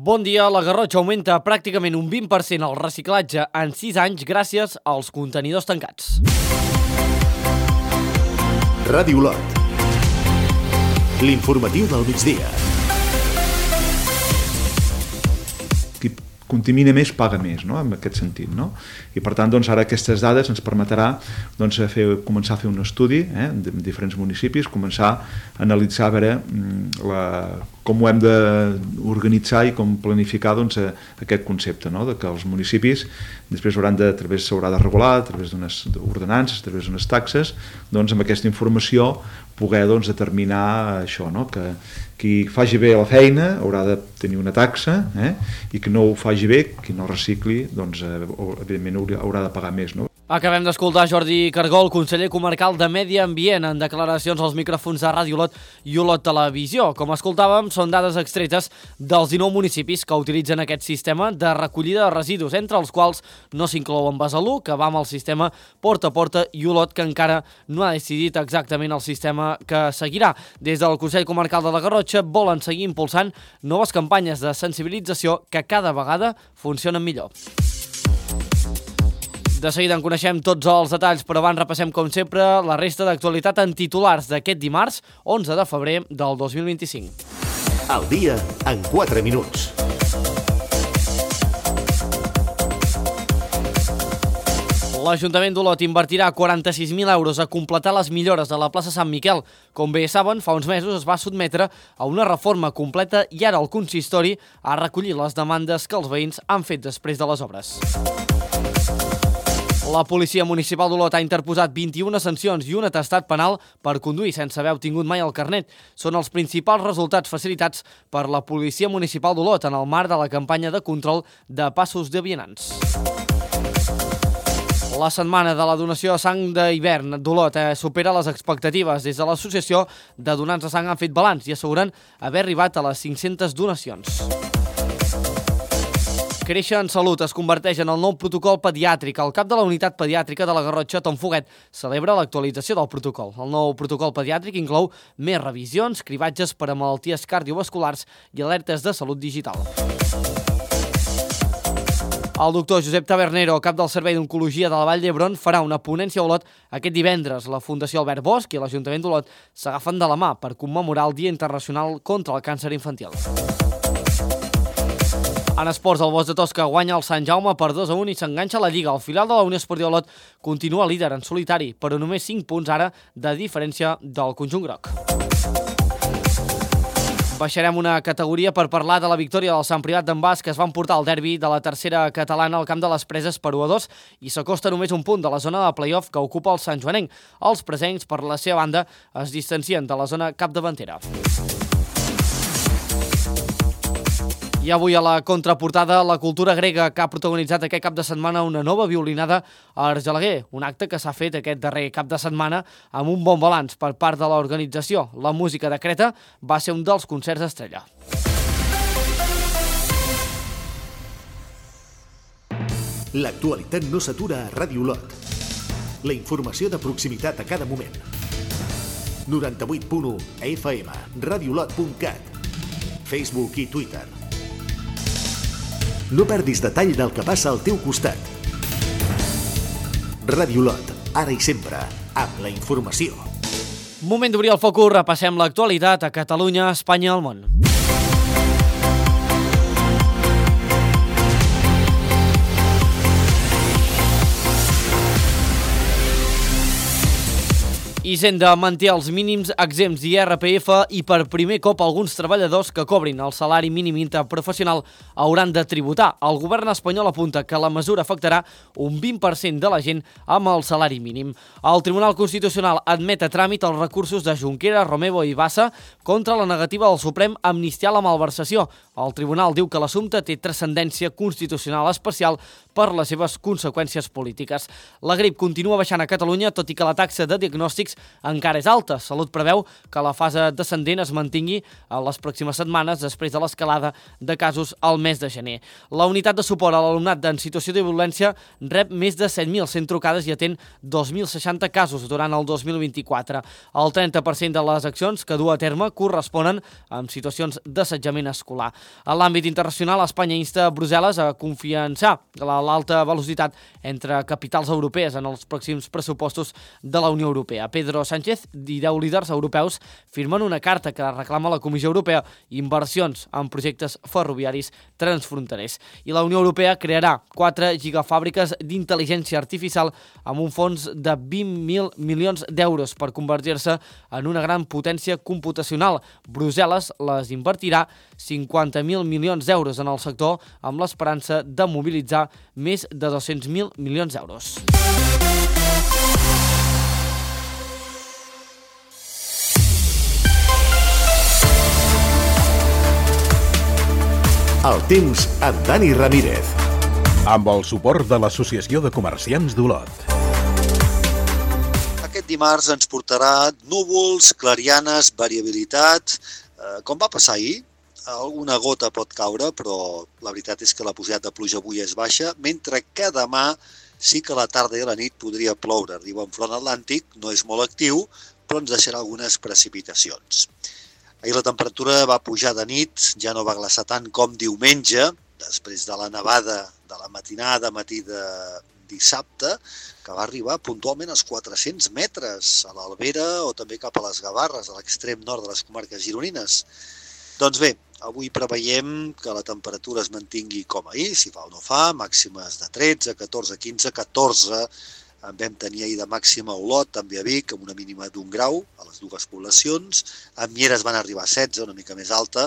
Bon dia, la Garrotxa augmenta pràcticament un 20% el reciclatge en 6 anys gràcies als contenidors tancats. Ràdio Olot. L'informatiu del migdia. Qui contamina més paga més, no? En aquest sentit, no? I per tant, doncs, ara aquestes dades ens permetrà doncs, començar a fer un estudi de diferents municipis, començar a analitzar a veure com ho hem d'organitzar i com planificar doncs, aquest concepte, no? De que els municipis després s'haurà de regular a través d'unes ordenances, a través d'unes taxes, doncs amb aquesta informació poder doncs, determinar això, no? Que qui faci bé la feina haurà de tenir una taxa i que no ho faci bé, qui no recicli, doncs, evidentment haurà de pagar més, no? Acabem d'escoltar Jordi Cargol, conseller comarcal de Medi Ambient, en declaracions als micròfons de Ràdio Olot i Olot Televisió. Com escoltàvem, són dades extretes dels 19 municipis que utilitzen aquest sistema de recollida de residus, entre els quals no s'inclouen Besalú, que va amb el sistema porta a porta, i Olot, que encara no ha decidit exactament el sistema que seguirà. Des del Consell Comarcal de la Garrotxa volen seguir impulsant noves campanyes de sensibilització que cada vegada funcionen millor. De seguida en coneixem tots els detalls, però abans repassem, com sempre, la resta d'actualitat en titulars d'aquest dimarts, 11 de febrer del 2025. El dia en 4 minuts. L'Ajuntament d'Olot invertirà 46.000 euros a completar les millores de la plaça Sant Miquel. Com bé saben, fa uns mesos es va sotmetre a una reforma completa i ara el consistori ha recollit les demandes que els veïns han fet després de les obres. La Policia Municipal d'Olot ha interposat 21 sancions i un atestat penal per conduir sense haver obtingut mai el carnet. Són els principals resultats facilitats per la Policia Municipal d'Olot en el marc de la campanya de control de passos de vianants. La setmana de la donació de sang d'hivern d'Olot supera les expectatives. Des de l'Associació de Donants de Sang han fet balanç i asseguren haver arribat a les 500 donacions. Créixer en Salut es converteix en el nou protocol pediàtric. El cap de la unitat pediàtrica de la Garrotxa, Tom Foguet, celebra l'actualització del protocol. El nou protocol pediàtric inclou més revisions, cribatges per a malalties cardiovasculars i alertes de salut digital. El doctor Josep Tabernero, cap del Servei d'Oncologia de la Vall d'Hebron, farà una ponència a Olot aquest divendres. La Fundació Albert Bosch i l'Ajuntament d'Olot s'agafen de la mà per commemorar el Dia Internacional contra el Càncer Infantil. En esports, el Bosch de Tosca guanya el Sant Jaume per 2-1 i s'enganxa a la Lliga. El filial de la Unió Esportiva Olot continua líder en solitari, però només 5 punts ara de diferència del conjunt groc. Baixarem una categoria per parlar de la victòria del Sant Privat d'en Bas, que es va emportar el derbi de la tercera catalana al camp de les Preses per 1-2 i s'acosta només un punt de la zona de play-off que ocupa el Sant Joanenc. Els presencs, per la seva banda, es distancien de la zona capdavantera. I avui a la contraportada, la cultura grega, que ha protagonitzat aquest cap de setmana una nova violinada a Argelaguer, un acte que s'ha fet aquest darrer cap de setmana amb un bon balanç per part de l'organització. La música de Creta va ser un dels concerts estrella. L'actualitat no s'atura a Ràdio Olot. La informació de proximitat a cada moment. 98.1 FM, radiolot.cat, Facebook i Twitter. No perdis detall del que passa al teu costat. Ràdio Olot, ara i sempre, amb la informació. Moment d'obrir el focus, repassem l'actualitat a Catalunya, Espanya i el món. Hisenda manté els mínims exempts d'IRPF i per primer cop alguns treballadors que cobrin el salari mínim interprofessional hauran de tributar. El govern espanyol apunta que la mesura afectarà un 20% de la gent amb el salari mínim. El Tribunal Constitucional admet a tràmit els recursos de Junqueras, Romeva i Bassa contra la negativa del Suprem a amnistiar la malversació. El tribunal diu que l'assumpte té transcendència constitucional especial per les seves conseqüències polítiques. La grip continua baixant a Catalunya, tot i que la taxa de diagnòstics encara és alta. Salut preveu que la fase descendent es mantingui a les pròximes setmanes després de l'escalada de casos al mes de gener. La unitat de suport a l'alumnat en situació de violència rep més de 7.100 trucades i atén 2.060 casos durant el 2024. El 30% de les accions que du a terme corresponen amb situacions d'assetjament escolar. En l'àmbit internacional, Espanya insta a Brussel·les a confiançar l'alta velocitat entre capitals europees en els pròxims pressupostos de la Unió Europea. Pedro Sánchez i 10 líders europeus firmen una carta que reclama a la Comissió Europea inversions en projectes ferroviaris transfronterers. I la Unió Europea crearà 4 gigafàbriques d'intel·ligència artificial amb un fons de 20.000 milions d'euros per convertir-se en una gran potència computacional. Brussel·les les invertirà 50.000 milions d'euros en el sector amb l'esperança de mobilitzar més de 200.000 milions d'euros. El temps amb Dani Ramírez. Amb el suport de l'Associació de Comerciants d'Olot. Aquest dimarts ens portarà núvols, clarianes, variabilitat. Com va passar ahir, alguna gota pot caure, però la veritat és que la possibilitat de pluja avui és baixa, mentre que demà sí que a la tarda i a la nit podria ploure. Arriba un front atlàntic, no és molt actiu, però ens deixarà algunes precipitacions. Ahir la temperatura va pujar de nit, ja no va glaçar tant com diumenge, després de la nevada de la matinada, matí de dissabte, que va arribar puntualment als 400 metres a l'Albera o també cap a les Gavarres, a l'extrem nord de les comarques gironines. Doncs bé, avui preveiem que la temperatura es mantingui com ahir, si fa o no fa, màximes de 13, 14, 15, 14, en vam tenir ahir de màxima a Olot, també a Vic, amb una mínima d'1 grau a les dues poblacions. A Mieres van arribar a 16, una mica més alta,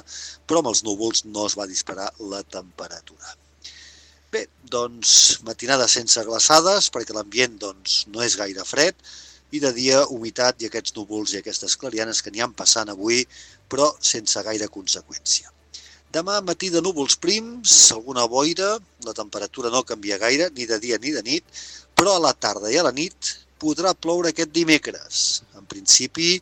però amb els núvols no es va disparar la temperatura. Bé, doncs matinada sense glaçades, perquè l'ambient no és gaire fred, i de dia humitat i aquests núvols i aquestes clarianes que n'hi han passant avui, però sense gaire conseqüència. Demà matí de núvols prims, alguna boira, la temperatura no canvia gaire, ni de dia ni de nit, però a la tarda i a la nit podrà ploure aquest dimecres. En principi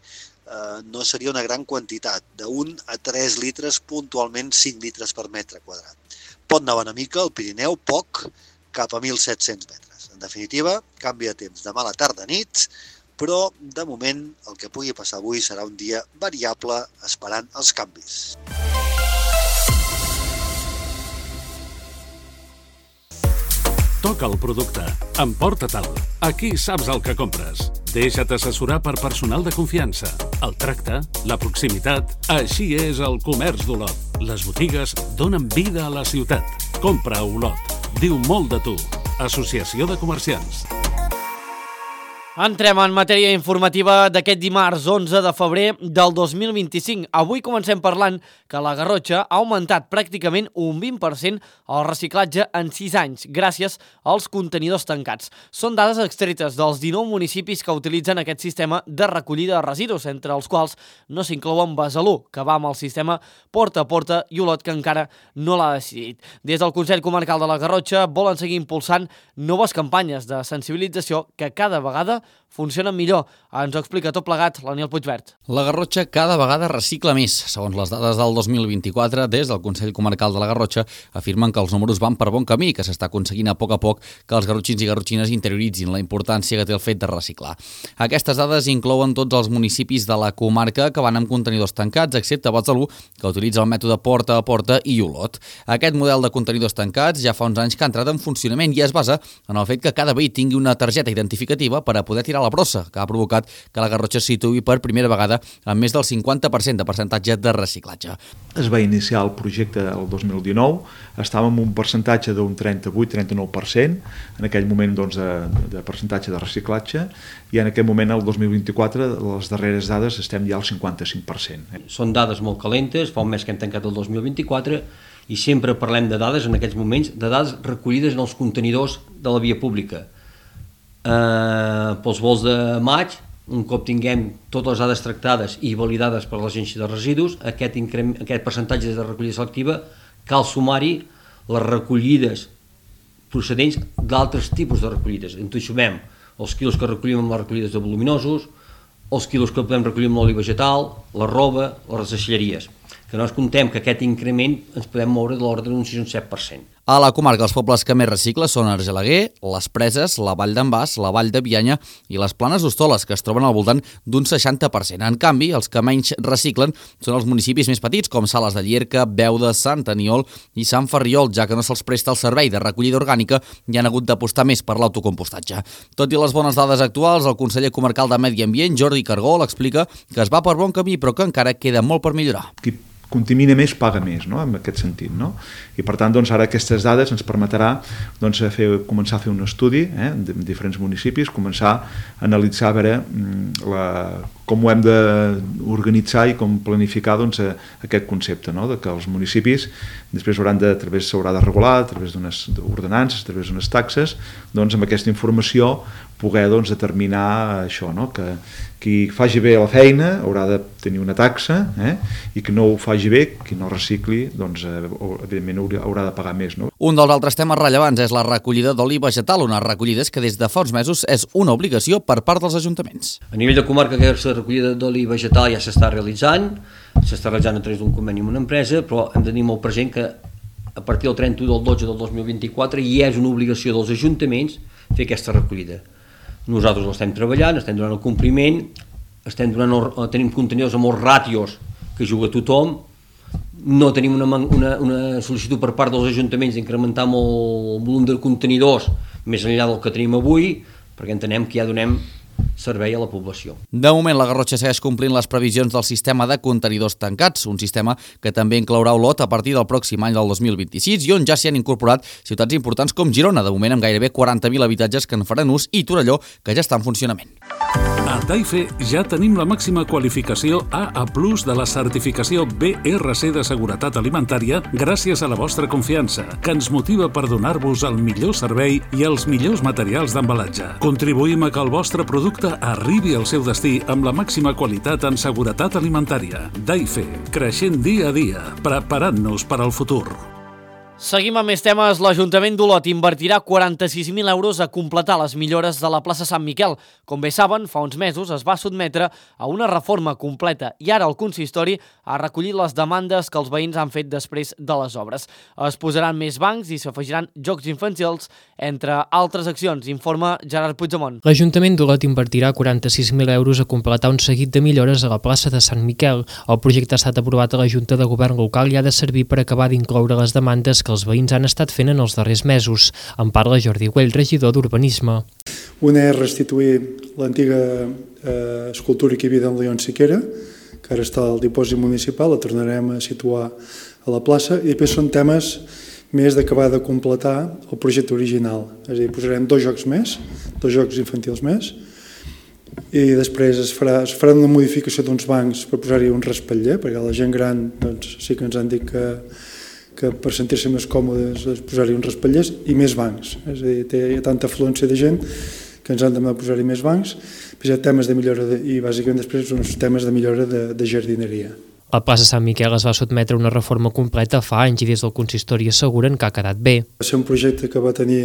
no seria una gran quantitat, de 1 a 3 litres, puntualment 5 litres per metre quadrat. Pot nevar una mica, al Pirineu poc, cap a 1.700 metres. En definitiva, canvi de temps demà a la tarda-nit, però de moment el que pugui passar avui serà un dia variable esperant els canvis. Toca el producte. Emporta-te'l. Aquí saps el que compres. Deixa't assessorar per personal de confiança. El tracte, la proximitat, així és el comerç d'Olot. Les botigues donen vida a la ciutat. Compra a Olot. Diu molt de tu. Associació de Comerciants. Entrem en matèria informativa d'aquest dimarts 11 de febrer del 2025. Avui comencem parlant que la Garrotxa ha augmentat pràcticament un 20% el reciclatge en 6 anys, gràcies als contenidors tancats. Són dades extretes dels 19 municipis que utilitzen aquest sistema de recollida de residus, entre els quals no s'inclouen Besalú, que va amb el sistema porta a porta, i Olot, que encara no l'ha decidit. Des del Consell Comarcal de la Garrotxa volen seguir impulsant noves campanyes de sensibilització que cada vegada funcionen millor. Ens ho explica tot plegat l'Aniel Puigvert. La Garrotxa cada vegada recicla més. Segons les dades del 2024, des del Consell Comarcal de la Garrotxa afirmen que els números van per bon camí, que s'està aconseguint a poc que els garrotxins i garrotxines interioritzin la importància que té el fet de reciclar. Aquestes dades inclouen tots els municipis de la comarca que van amb contenidors tancats, excepte Besalú, que utilitza el mètode porta a porta, i Olot. Aquest model de contenidors tancats ja fa uns anys que ha entrat en funcionament i es basa en el fet que cada veí tingui una targeta identificativa per a poder tirar la brossa, que ha provocat que la Garrotxa es situï per primera vegada amb més del 50% de percentatge de reciclatge. Es va iniciar el projecte el 2019, estàvem en un percentatge d'un 38-39%, en aquell moment de percentatge de reciclatge, i en aquest moment, el 2024, les darreres dades estem ja al 55%. Són dades molt calentes, fa un mes que hem tancat el 2024, i sempre parlem de dades en aquests moments, de dades recollides en els contenidors de la via pública. Pels vols de maig, un cop tinguem totes les dades tractades i validades per l'Agència de Residus, aquest percentatge de recollida selectiva cal sumar-hi les recollides procedents d'altres tipus de recollides. En tot sumem els quilos que recollim amb les recollides de voluminosos, els quilos que podem recollir amb l'oli vegetal, la roba, les deixalleries. Que no ens contem que aquest increment ens podem moure de l'ordre d'un 6 o un 7%. A la comarca, els pobles que més reciclen són Argelaguer, les Preses, la Vall d'en Bas, la Vall de Bianya i les Planes d'Hostoles, que es troben al voltant d'un 60%. En canvi, els que menys reciclen són els municipis més petits, com Sales de Llierca, Beuda, Sant Aniol i Sant Ferriol, ja que no se'ls presta el servei de recollida orgànica i han hagut d'apostar més per l'autocompostatge. Tot i les bones dades actuals, el conseller comarcal de Medi Ambient, Jordi Cargol, explica que es va per bon camí, però que encara queda molt per millorar. Qui contamina més paga més, no? En aquest sentit, no? I per tant, doncs, ara aquestes dades ens permetrà doncs, començar a fer un estudi de diferents municipis, començar a analitzar a veure com ho hem d'organitzar i com planificar doncs, aquest concepte, no? De que els municipis després s'haurà de regular a través d'unes ordenances, a través d'unes taxes, doncs amb aquesta informació poder doncs, determinar això, no? Que qui faci bé la feina haurà de tenir una taxa i qui no ho faci bé, qui no recicli, doncs evidentment haurà de pagar més. No? Un dels altres temes rellevants és la recollida d'oli vegetal, unes recollides que des de fa uns mesos és una obligació per part dels ajuntaments. A nivell de comarca, aquesta recollida d'oli vegetal ja s'està realitzant a través d'un conveni amb una empresa, però hem de tenir molt present que a partir del 31 del 12 del 2024 ja és una obligació dels ajuntaments fer aquesta recollida. Nosaltres l'estem treballant, estem donant el compliment, tenim contenidors amb molts ràtios que juga tothom, no tenim una sol·licitud per part dels ajuntaments d'incrementar el volum de contenidors més enllà del que tenim avui, perquè entenem que ja donem servei a la població. De moment, la Garrotxa segueix complint les previsions del sistema de contenidors tancats, un sistema que també inclourà Olot a partir del pròxim any del 2026 i on ja s'hi han incorporat ciutats importants com Girona, de moment amb gairebé 40.000 habitatges que en faran ús, i Torelló, que ja està en funcionament. A Taife ja tenim la màxima qualificació AA+ de la certificació BRC de seguretat alimentària gràcies a la vostra confiança, que ens motiva per donar-vos el millor servei i els millors materials d'embalatge. Contribuïm a que el vostre producte arribi al seu destí amb la màxima qualitat en seguretat alimentària. Taife, creixent dia a dia, preparant-nos per al futur. Seguim amb més temes. L'Ajuntament d'Olot invertirà 46.000 euros a completar les millores de la plaça Sant Miquel. Com bé saben, fa uns mesos es va sotmetre a una reforma completa i ara el consistori ha recollit les demandes que els veïns han fet després de les obres. Es posaran més bancs i s'afegiran jocs infantils, entre altres accions, informa Gerard Puigdemont. L'Ajuntament d'Olot invertirà 46.000 euros a completar un seguit de millores a la plaça de Sant Miquel. El projecte ha estat aprovat a la Junta de Govern local i ha de servir per acabar d'incloure les demandes que els veïns han estat fent en els darrers mesos. En parla Jordi Güell, regidor d'Urbanisme. Una és restituir l'antiga escultura que hi havia d'en León Siquera, que ara està al dipòsit municipal, la tornarem a situar a la plaça, i després són temes més d'acabar de completar el projecte original. És a dir, posarem 2 jocs més, 2 jocs infantils més, i després es farà una modificació d'uns bancs per posar-hi un respatller, perquè la gent gran doncs, sí que ens han dit que per sentir-se més còmodes és posar-hi uns respatllers i més bancs. És a dir, hi ha tanta afluència de gent que ens han de posar-hi més bancs. Hi ha temes de millora i bàsicament després uns temes de millora de jardineria. La plaça Sant Miquel es va sotmetre a una reforma completa fa anys i des del consistori asseguren que ha quedat bé. Va ser un projecte que va tenir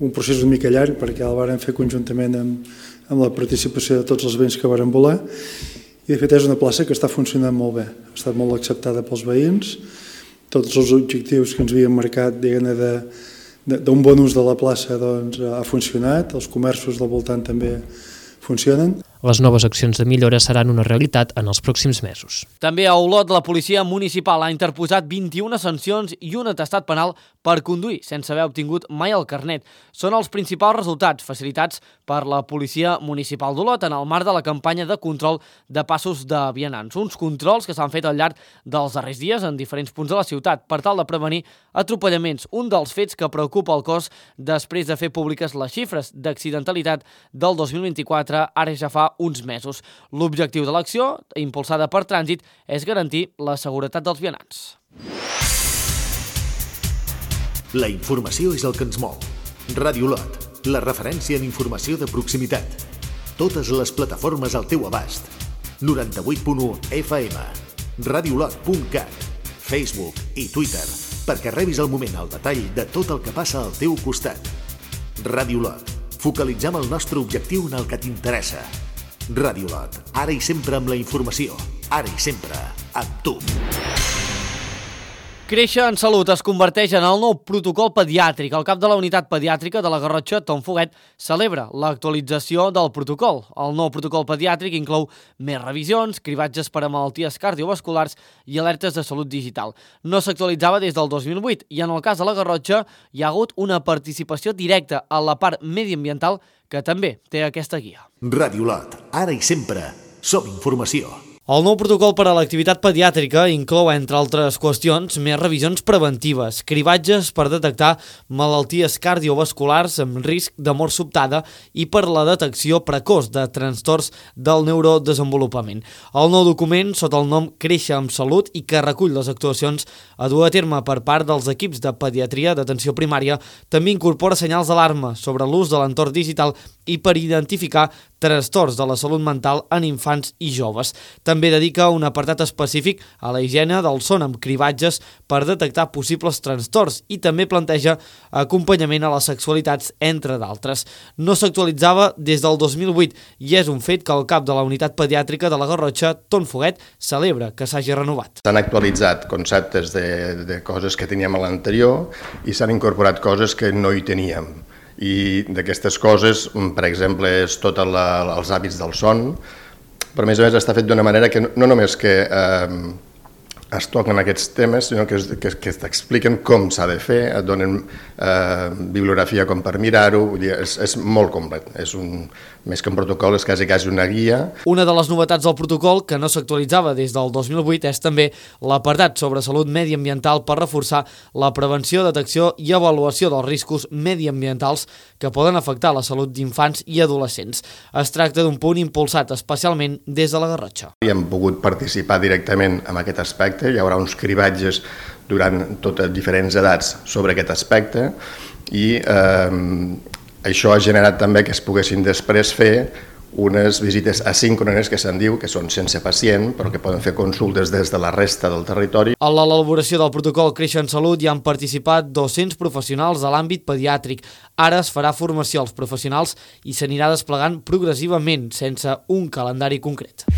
un procés una mica llarg perquè el vàrem fer conjuntament amb la participació de tots els veïns que varen voler, i de fet és una plaça que està funcionant molt bé. Ha estat molt acceptada pels veïns. Tots els objectius que ens havíem marcat d'un bon ús de la plaça doncs, ha funcionat, els comerços del voltant també funcionen. Les noves accions de millora seran una realitat en els pròxims mesos. També a Olot, la policia municipal ha interposat 21 sancions i un atestat penal per conduir sense haver obtingut mai el carnet. Són els principals resultats facilitats per la policia municipal d'Olot en el marc de la campanya de control de passos de vianants. Uns controls que s'han fet al llarg dels darrers dies en diferents punts de la ciutat per tal de prevenir atropellaments, un dels fets que preocupa el cos després de fer públiques les xifres d'accidentalitat del 2024, ara ja fa uns mesos. L'objectiu de l'acció, impulsada per Trànsit, és garantir la seguretat dels vianants. La informació és el que ens mou. Ràdio Olot, la referència en informació de proximitat. Totes les plataformes al teu abast. 98.1 FM, radiolot.cat, Facebook i Twitter, perquè rebis al moment el detall de tot el que passa al teu costat. Ràdio Olot, focalitzem el nostre objectiu en el que t'interessa. Ràdio Olot, ara i sempre amb la informació, ara i sempre amb tu. Créixer en Salut es converteix en el nou protocol pediàtric. El cap de la unitat pediàtrica de la Garrotxa, Tom Foguet, celebra l'actualització del protocol. El nou protocol pediàtric inclou més revisions, cribatges per a malalties cardiovasculars i alertes de salut digital. No s'actualitzava des del 2008 i en el cas de la Garrotxa hi ha hagut una participació directa a la part mediambiental que també té aquesta guia. Ràdio Lot, ara i sempre, som informació. El nou protocol per a l'activitat pediàtrica inclou, entre altres qüestions, més revisions preventives, cribatges per detectar malalties cardiovasculars amb risc de mort sobtada i per la detecció precoç de trastorns del neurodesenvolupament. El nou document, sota el nom Créixer amb Salut i que recull les actuacions a dur a terme per part dels equips de pediatria d'atenció primària, també incorpora senyals d'alarma sobre l'ús de l'entorn digital i per identificar trastorns de la salut mental en infants i joves. També dedica un apartat específic a la higiene del son amb cribatges per detectar possibles trastorns i també planteja acompanyament a les sexualitats, entre d'altres. No s'actualitzava des del 2008 i és un fet que el cap de la unitat pediàtrica de la Garrotxa, Tom Foguet, celebra que s'hagi renovat. S'han actualitzat conceptes de coses que teníem a l'anterior i s'han incorporat coses que no hi teníem. I d'aquestes coses, per exemple, és tots els hàbits del son, però a més està fet d'una manera que no només que es toquen aquests temes, sinó que t'expliquen com s'ha de fer, et donen bibliografia com per mirar-ho, és molt complet, més que un protocol és quasi una guia. Una de les novetats del protocol, que no s'actualitzava des del 2008, és també l'apartat sobre salut mediambiental per reforçar la prevenció, detecció i avaluació dels riscos mediambientals que poden afectar la salut d'infants i adolescents. Es tracta d'un punt impulsat especialment des de la Garrotxa. Hem pogut participar directament en aquest aspecte, hi haurà uns cribatges durant totes diferents edats sobre aquest aspecte i això ha generat també que es poguessin després fer unes visites asíncrones que se'n diu, que són sense pacient, però que poden fer consultes des de la resta del territori. A l'elaboració del protocol Créixer en Salut hi han participat 200 professionals de l'àmbit pediàtric. Ara es farà formació als professionals i s'anirà desplegant progressivament, sense un calendari concret.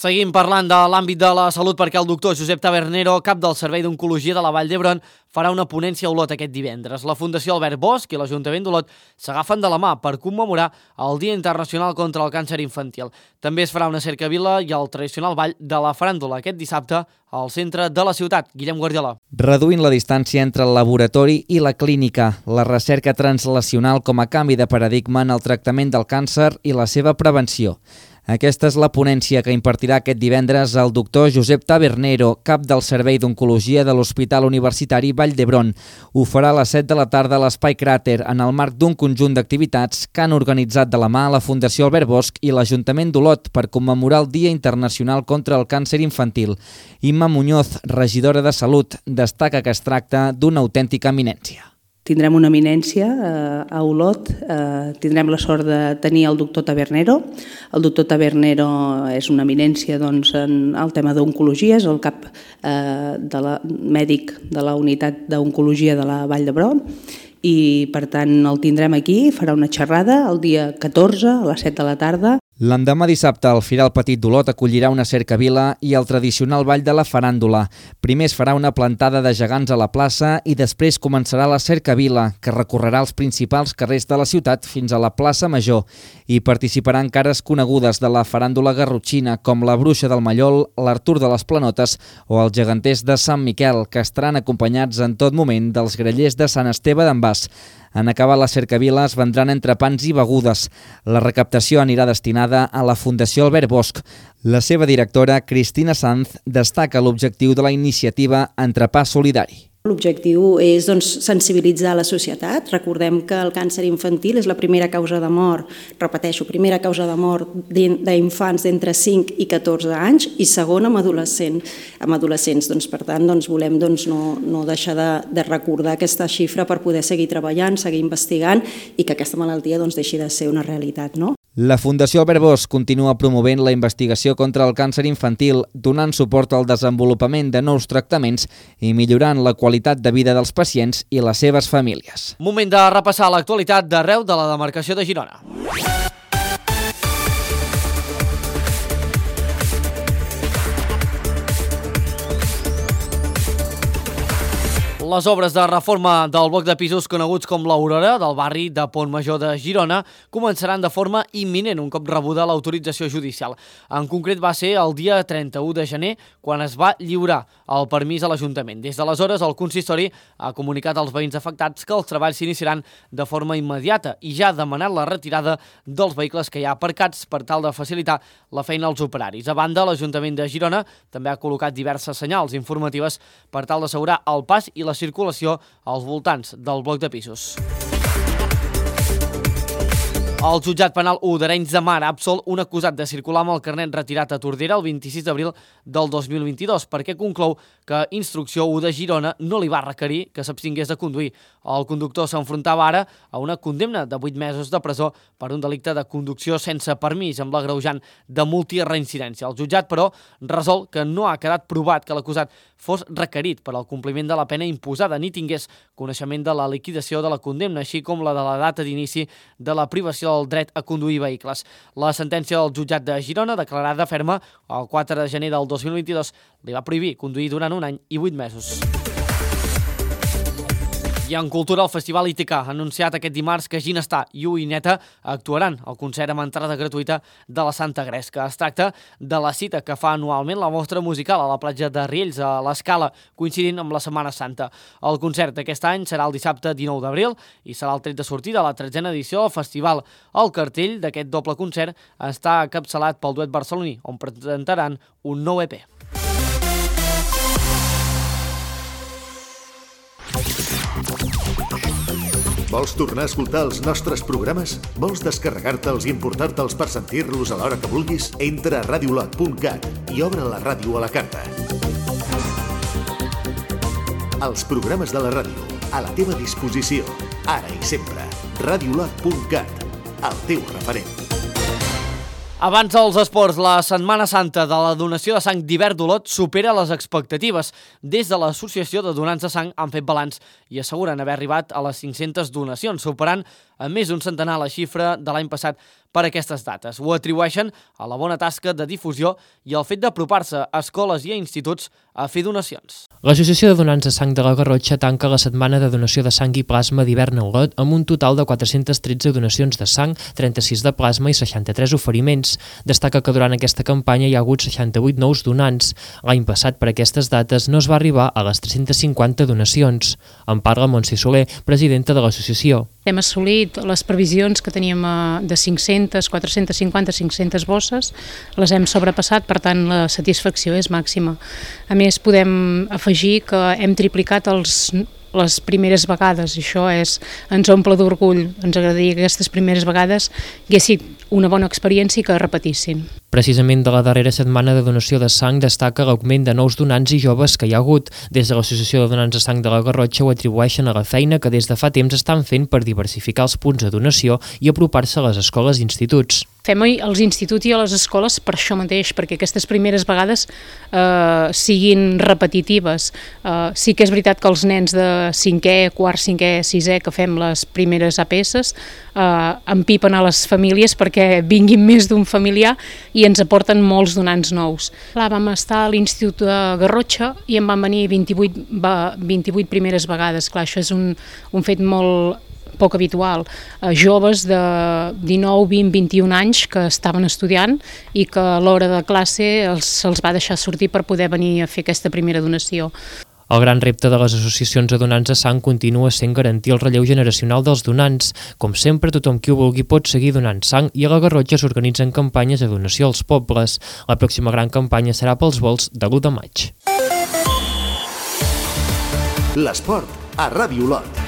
Seguim parlant de l'àmbit de la salut perquè el doctor Josep Tabernero, cap del Servei d'Oncologia de la Vall d'Hebron, farà una ponència a Olot aquest divendres. La Fundació Albert Bosch i l'Ajuntament d'Olot s'agafen de la mà per commemorar el Dia Internacional contra el Càncer Infantil. També es farà una cercavila i el tradicional ball de la faràndula aquest dissabte al centre de la ciutat. Guillem Guardiola. Reduint la distància entre el laboratori i la clínica, la recerca translacional com a canvi de paradigma en el tractament del càncer i la seva prevenció. Aquesta és la ponència que impartirà aquest divendres el doctor Josep Tabernero, cap del Servei d'Oncologia de l'Hospital Universitari Vall d'Hebron. Ho farà a les 7 de la tarda a l'Espai Cràter, en el marc d'un conjunt d'activitats que han organitzat de la mà la Fundació Albert Bosch i l'Ajuntament d'Olot per commemorar el Dia Internacional contra el Càncer Infantil. Imma Muñoz, regidora de Salut, destaca que es tracta d'una autèntica eminència. Tindrem una eminència a Olot, tindrem la sort de tenir el doctor Tabernero. El doctor Tabernero és una eminència en el tema d'oncologia, és el cap mèdic de la unitat d'oncologia de la Vall d'Hebron i per tant el tindrem aquí, farà una xerrada el dia 14 a les 7 de la tarda. L'endemà dissabte, el Firal Petit d'Olot acollirà una cercavila i el tradicional ball de la faràndula. Primer es farà una plantada de gegants a la plaça i després començarà la cercavila, que recorrerà els principals carrers de la ciutat fins a la plaça Major. Hi participaran cares conegudes de la faràndula garrotxina, com la Bruixa del Mallol, l'Artur de les Planotes o els geganters de Sant Miquel, que estaran acompanyats en tot moment dels grellers de Sant Esteve d'en Bas. En acabar la cercavila es vendran entrepans i begudes. La recaptació anirà destinada a la Fundació Albert Bosch. La seva directora, Cristina Sanz, destaca l'objectiu de la iniciativa Entrepà Solidari. L'objectiu és sensibilitzar la societat. Recordem que el càncer infantil és la primera causa de mort, repeteixo, primera causa de mort d'infants d'entre 5 i 14 anys i segona amb adolescents. Per tant, volem no deixar de recordar aquesta xifra per poder seguir treballant, seguir investigant i que aquesta malaltia deixi de ser una realitat, no? La Fundació Albert Bosch continua promovent la investigació contra el càncer infantil, donant suport al desenvolupament de nous tractaments i millorant la qualitat de vida dels pacients i les seves famílies. Moment de repassar l'actualitat d'arreu de la demarcació de Girona. Les obres de reforma del bloc de pisos coneguts com l'Aurora del barri de Pont Major de Girona començaran de forma imminent un cop rebuda l'autorització judicial. En concret va ser el dia 31 de gener quan es va lliurar el permís a l'Ajuntament. Des d'aleshores el consistori ha comunicat als veïns afectats que els treballs s'iniciaran de forma immediata i ja ha demanat la retirada dels vehicles que hi ha aparcats per tal de facilitar la feina als operaris. A banda, l'Ajuntament de Girona també ha col·locat diverses senyals informatives per tal d'assegurar el pas i la circulació als voltants del bloc de pisos. El jutjat penal 1 d'Arenys de Mar ha absolt un acusat de circular amb el carnet retirat a Tordera el 26 d'abril del 2022 perquè conclou que Instrucció 1 de Girona no li va requerir que s'abstingués de conduir. El conductor s'enfrontava ara a una condemna de 8 mesos de presó per un delicte de conducció sense permís amb l'agreujant de multireincidència. El jutjat, però, resol que no ha quedat provat que l'acusat fos requerit per al compliment de la pena imposada ni tingués coneixement de la liquidació de la condemna, així com la de la data d'inici de la privació del dret a conduir vehicles. La sentència del jutjat de Girona, declarada ferma el 4 de gener del 2022, li va prohibir conduir durant un any i 8 mesos. I en cultura, el Festival ITK ha anunciat aquest dimarts que Ginestar i Uineta actuaran al concert amb entrada gratuïta de la Santa Gresca. Es tracta de la cita que fa anualment la mostra musical a la platja de Riells, a l'Escala, coincidint amb la Setmana Santa. El concert d'aquest any serà el dissabte 19 d'abril i serà el tret de sortida a la 13a edició del festival. El cartell d'aquest doble concert està encapçalat pel duet barceloní, on presentaran un nou EP. Vols tornar a escoltar els nostres programes? Vols descarregar-te'ls i emportar-te'ls per sentir-los a l'hora que vulguis? Entra a radiolot.cat i obre la ràdio a la carta. Els programes de la ràdio, a la teva disposició, ara i sempre. Radiolot.cat, el teu referent. Abans dels esports, la Setmana Santa de la donació de sang d'hivern d'Olot supera les expectatives. Des de l'Associació de Donants de Sang han fet balanç i asseguren haver arribat a les 500 donacions, superant a més d'un centenar la xifra de l'any passat per aquestes dates. Ho atribueixen a la bona tasca de difusió i al fet d'apropar-se a escoles i a instituts a fer donacions. L'Associació de Donants de Sang de la Garrotxa tanca la setmana de donació de sang i plasma d'hivern a Olot amb un total de 413 donacions de sang, 36 de plasma i 63 oferiments. Destaca que durant aquesta campanya hi ha hagut 68 nous donants. L'any passat, per aquestes dates, no es va arribar a les 350 donacions. En parla Montse Soler, presidenta de l'associació. Hem assolit les previsions que teníem de 500, 450, 500 bosses, les hem sobrepassat, per tant la satisfacció és màxima. A més, podem afegir que hem triplicat les primeres vegades, això ens omple d'orgull. Ens agradaria que aquestes primeres vegades haguessin una bona experiència i que repetissin. Precisament de la darrera setmana de donació de sang destaca l'augment de nous donants i joves que hi ha hagut. Des de l'Associació de Donants de Sang de la Garrotxa ho atribueixen a la feina que des de fa temps estan fent per diversificar els punts de donació i apropar-se a les escoles i instituts. Fem als instituts i a les escoles per això mateix, perquè aquestes primeres vegades siguin repetitives. Sí que és veritat que els nens de 5è, quart, 5è, 6è que fem les primeres APS empipen a les famílies perquè vinguin més d'un familiar i ens aporten molts donants nous. Vam estar a l'Institut de Garrotxa i en van venir 28 primeres vegades. Clar, això és un fet molt poc habitual. Joves de 19, 20, 21 anys que estaven estudiant i que a l'hora de classe se'ls va deixar sortir per poder venir a fer aquesta primera donació. El gran repte de les associacions de donants de sang continua sent garantir el relleu generacional dels donants. Com sempre, tothom qui ho vulgui pot seguir donant sang i a la Garrotxa s'organitzen campanyes de donació als pobles. La pròxima gran campanya serà pels vols de l'1 de maig. L'esport a Ràdio Olot.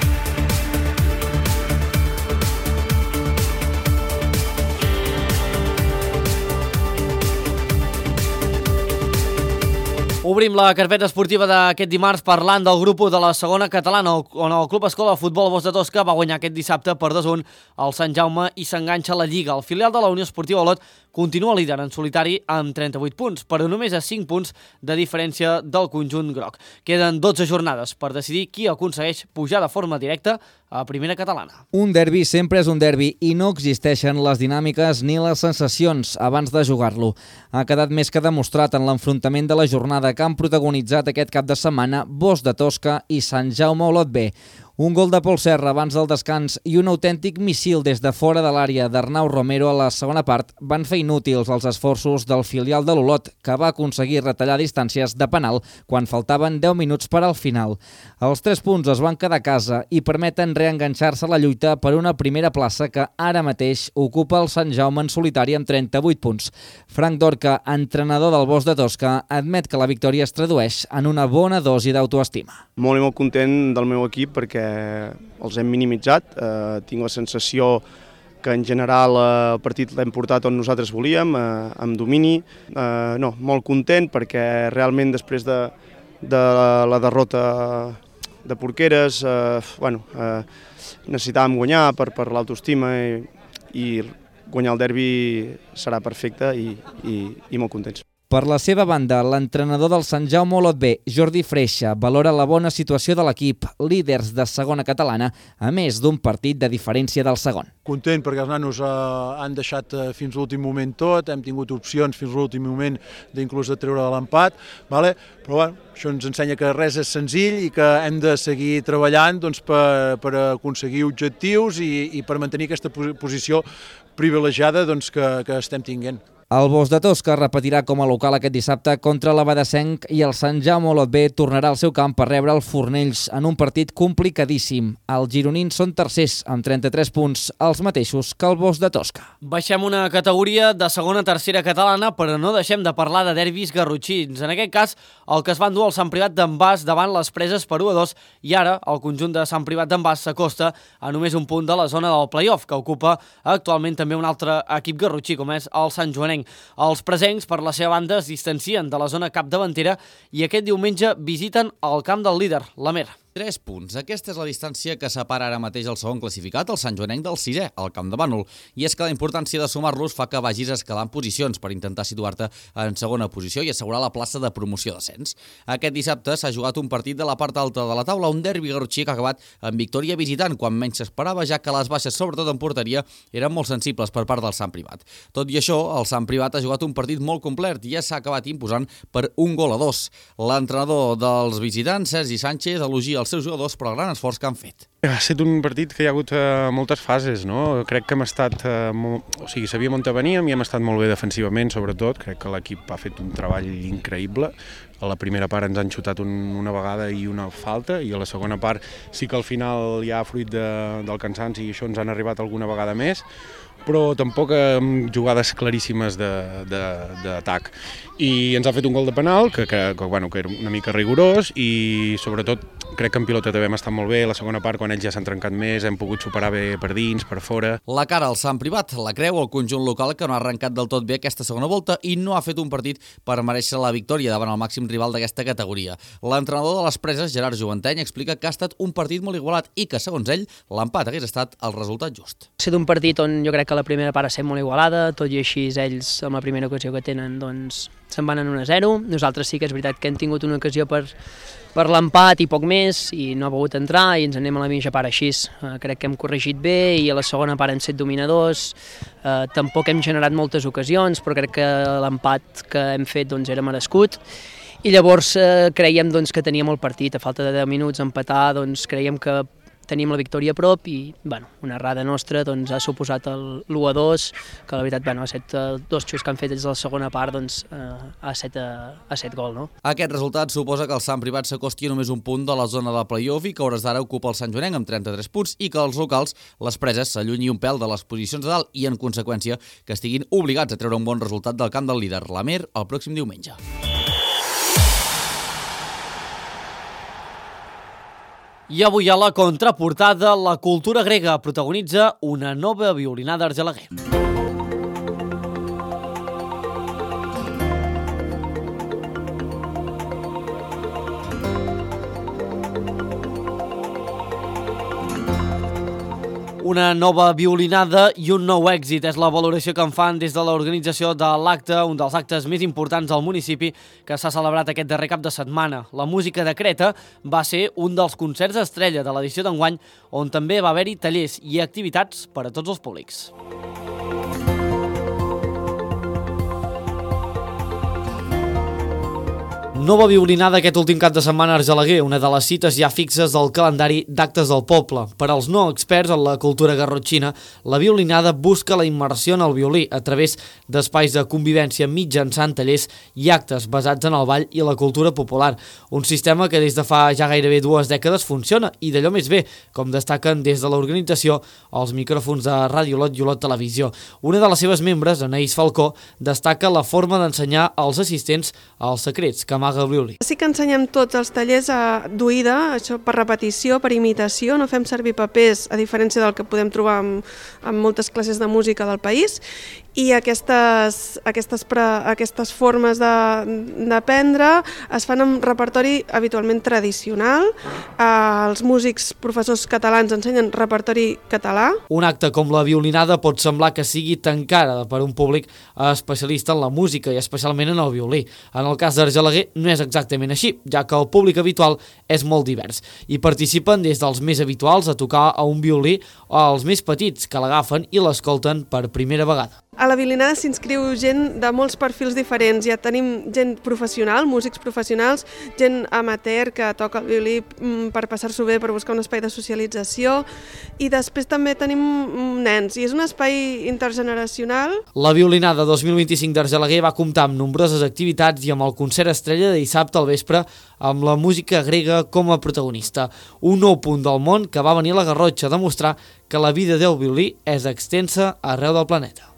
Obrim la carpeta esportiva d'aquest dimarts parlant del grup de la segona catalana, on el Club Escola de Futbol Bos de Tosca va guanyar aquest dissabte per 2-1 al Sant Jaume i s'enganxa a la Lliga. El filial de la Unió Esportiva Olot continua líder en solitari amb 38 punts, però només a 5 punts de diferència del conjunt groc. Queden 12 jornades per decidir qui aconsegueix pujar de forma directa a primera catalana. Un derbi sempre és un derbi i no existeixen les dinàmiques ni les sensacions abans de jugar-lo. Ha quedat més que demostrat en l'enfrontament de la jornada que han protagonitzat aquest cap de setmana Bosch de Tosca i Sant Jaume Olot B. Un gol de Pol Serra abans del descans i un autèntic missil des de fora de l'àrea d'Arnau Romero a la segona part van fer inútils els esforços del filial de l'Olot, que va aconseguir retallar distàncies de penal quan faltaven 10 minuts per al final. Els 3 punts es van quedar a casa i permeten reenganxar-se a la lluita per una primera plaça que ara mateix ocupa el Sant Jaume en solitari amb 38 punts. Frank Dorca, entrenador del Bosch de Tosca, admet que la victòria es tradueix en una bona dosi d'autoestima. Molt i molt content del meu equip perquè els hem minimitzat. Tinc la sensació que en general el partit l'hem portat on nosaltres volíem, amb domini. Molt content perquè realment després de la derrota de Porqueres necessitàvem guanyar per l'autoestima i guanyar el derbi serà perfecte i molt contents. Per la seva banda, l'entrenador del Sant Jaume Olot B, Jordi Freixa, valora la bona situació de l'equip, líders de segona catalana, a més d'un partit de diferència del segon. Content perquè els nanos han deixat fins a l'últim moment tot, hem tingut opcions fins a l'últim moment d'inclús de treure l'empat, però això ens ensenya que res és senzill i que hem de seguir treballant per aconseguir objectius i per mantenir aquesta posició privilegiada que estem tinguent. El Bosch de Tosca repetirà com a local aquest dissabte contra l'Abadessenc i el Sant Jaume Olot B tornarà al seu camp per rebre el Fornells en un partit complicadíssim. Els gironins són tercers amb 33 punts, els mateixos que el Bosch de Tosca. Baixem una categoria de segona a tercera catalana, però no deixem de parlar de derbis garrotxins. En aquest cas, el que es va endur al Sant Privat d'en Bas davant les Preses per 1-2 i ara el conjunt de Sant Privat d'en Bas s'acosta a només un punt de la zona del play-off, que ocupa actualment també un altre equip garrotxí, com és el Sant Joanenc. Els presencs, per la seva banda, es distancien de la zona capdavantera i aquest diumenge visiten el camp del líder, l'Amer. 3 punts. Aquesta és la distància que separa ara mateix el segon classificat, el Sant Joanenc, del 6è, al Camp de Bànol. I és que la importància de sumar-los fa que vagis escalant posicions per intentar situar-te en segona posició i assegurar la plaça de promoció d'ascens. Aquest dissabte s'ha jugat un partit de la part alta de la taula, un derbi garrotxí que ha acabat en victòria visitant, quan menys s'esperava, ja que les baixes, sobretot en porteria, eren molt sensibles per part del Sant Privat. Tot i això, el Sant Privat ha jugat un partit molt complet i ja s'ha acabat imposant per 1-2. L'entrenador dels visitants, Sergi Sánchez, elogia els seus jugadors per el gran esforç que han fet. Ha estat un partit que hi ha hagut moltes fases, no? Crec que hem estat, sabíem on veníem i hem estat molt bé defensivament, sobretot. Crec que l'equip ha fet un treball increïble. A la primera part ens han xutat una vegada i una falta, i a la segona part sí que al final hi ha fruit del cansanci i això ens han arribat alguna vegada més, però tampoc amb jugades claríssimes d'atac. I ens ha fet un gol de penal, que era una mica rigorós, i sobretot crec que en pilota també hem estat molt bé. La segona part, quan ells ja s'han trencat més, hem pogut superar bé per dins, per fora. La cara al Sant Privat la creu el conjunt local, que no ha arrencat del tot bé aquesta segona volta i no ha fet un partit per mereixer la victòria davant el màxim rival d'aquesta categoria. L'entrenador de les Preses, Gerard Joventeny, explica que ha estat un partit molt igualat i que, segons ell, l'empat hagués estat el resultat just. Ha estat un partit on jo crec que la primera part ha estat molt igualada, tot i així ells, amb la primera ocasió que tenen, doncs se'n van en 1-0. Nosaltres sí que és veritat que hem tingut una ocasió per l'empat i poc més, i no ha pogut entrar i ens anem a la mitja part així. Crec que hem corregit bé i a la segona part hem set dominadors. Tampoc hem generat moltes ocasions, però crec que l'empat que hem fet doncs, era merescut. I llavors creiem doncs, que teníem el partit, a falta de 10 minuts empatar, doncs creiem que teníem la victòria a prop i una errada nostra doncs, ha suposat l'1-2, que la veritat ha set dos xuts que han fet ells a la segona part, doncs, ha set gol. No? Aquest resultat suposa que el Sant Privat s'acosti a només un punt de la zona de play-off i que a hores d'ara ocupa el Sant Joanenc amb 33 punts i que els locals, les Preses, s'allunyi un pèl de les posicions de dalt i, en conseqüència, que estiguin obligats a treure un bon resultat del camp del líder, l'Amer, el pròxim diumenge. I avui a la contraportada, la cultura grega protagonitza una nova violinada Argelaguer. Una nova violinada i un nou èxit és la valoració que en fan des de l'organització de l'acte, un dels actes més importants del municipi que s'ha celebrat aquest darrer cap de setmana. La música de Creta va ser un dels concerts estrella de l'edició d'enguany, on també va haver-hi tallers i activitats per a tots els públics. Nova violinada aquest últim cap de setmana a Argelaguer, una de les cites ja fixes del calendari d'actes del poble. Per als no experts en la cultura garrotxina, la violinada busca la immersió en el violí a través d'espais de convivència mitjançant tallers i actes basats en el ball i la cultura popular. Un sistema que des de fa ja gairebé 2 dècades funciona i d'allò més bé, com destaquen des de l'organització els micròfons de Ràdio Olot i Olot Televisió. Una de les seves membres, Anaïs Falcó, destaca la forma d'ensenyar als assistents els secrets que amaga el violí. Sí que ensenyem tots els tallers d'oïda, això per repetició, per imitació, no fem servir papers, a diferència del que podem trobar en moltes classes de música del país, i aquestes formes d'aprendre es fan amb repertori habitualment tradicional. Els músics professors catalans ensenyen repertori català. Un acte com la violinada pot semblar que sigui tancada per un públic especialista en la música i especialment en el violí. En el cas d'Argelaguer no és exactament així, ja que el públic habitual és molt divers. Hi participen des dels més habituals a tocar a un violí als més petits que l'agafen i l'escolten per primera vegada. A la violinada s'inscriu gent de molts perfils diferents. Ja tenim gent professional, músics professionals, gent amateur que toca el violí per passar-s'ho bé, per buscar un espai de socialització, i després també tenim nens, i és un espai intergeneracional. La violinada 2025 d'Argelaguer va comptar amb nombroses activitats i amb el concert estrella de dissabte al vespre amb la música grega com a protagonista. Un nou punt del món que va venir a la Garrotxa a demostrar que la vida del violí és extensa arreu del planeta.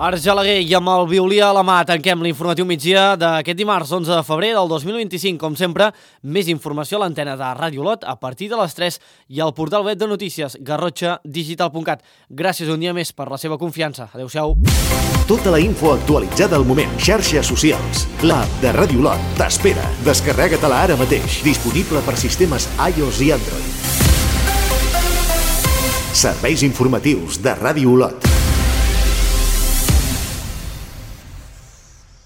Argelaguer i amb el violí a la mà tanquem l'informatiu migdia d'aquest dimarts 11 de febrer del 2025. Com sempre, més informació a l'antena de Ràdio Olot a partir de les 3 i al portal web de notícies garrotxadigital.cat. Gràcies un dia més per la seva confiança. Adéu-siau. Tota la info actualitzada al moment. Xarxes socials. L'app de Ràdio Olot t'espera. Descarrega-te-la ara mateix. Disponible per sistemes iOS i Android. Serveis informatius de Ràdio Olot.